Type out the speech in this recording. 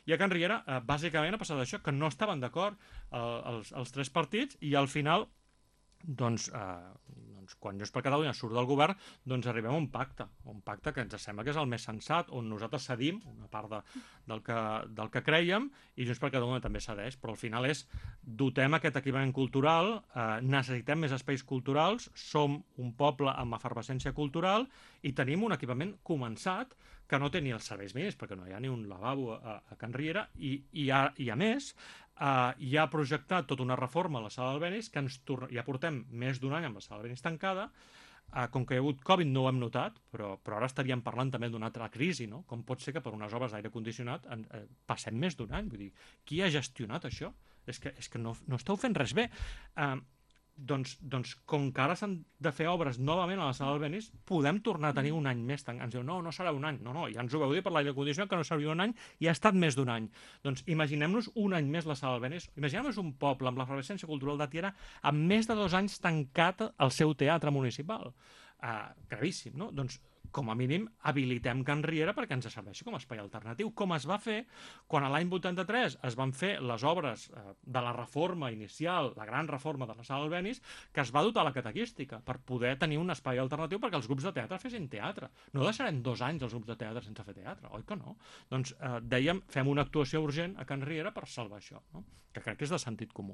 I a Can Riera, bàsicament, ha passat això, que no estaven d'acord els tres partits i al final quan Junts per Catalunya surt del govern, doncs arribem a un pacte que ens sembla que és el més sensat, on nosaltres cedim una part del que creiem i Junts per Catalunya també cedeix, però al final és dotem aquest equipament cultural, necessitem més espais culturals, som un poble amb efervescència cultural i tenim un equipament començat que no té ni els serveis mínims, perquè no hi ha ni un lavabo a Can Riera, i a més hi ha projectat tota una reforma a la sala d'Albenis que ja portem més d'un any amb la sala d'Albenis tancada, com que hi ha hagut Covid no ho hem notat, però ara estaríem parlant també d'una altra crisi, no? Com pot ser que per unes obres d'aire condicionat passem més d'un any? Vull dir, qui ha gestionat això? És que no esteu fent res bé. Doncs com que ara s'han de fer obres novament a la sala d'Albenis, podem tornar a tenir un any més. Ens diu, no serà un any. No, ja ens ho vau dir per l'aire condicionat que no seria un any i ha estat més d'un any. Doncs imaginem-nos un any més la sala d'Albenis, imaginem-nos un poble amb l'efervescència cultural de Tiana amb més de 2 anys tancat al seu teatre municipal. Gravíssim, no? Doncs com a mínim habilitem Can Riera perquè ens serveixi com a espai alternatiu, com es va fer quan a l'any 83 es van fer les obres de la reforma inicial, la gran reforma de la sala Albéniz, que es va dotar la catequística per poder tenir un espai alternatiu perquè els grups de teatre fessin teatre. No deixarem 2 anys els grups de teatre sense fer teatre, oi que no? Doncs dèiem, fem una actuació urgent a Can Riera per salvar això, no? Que crec que és de sentit comú.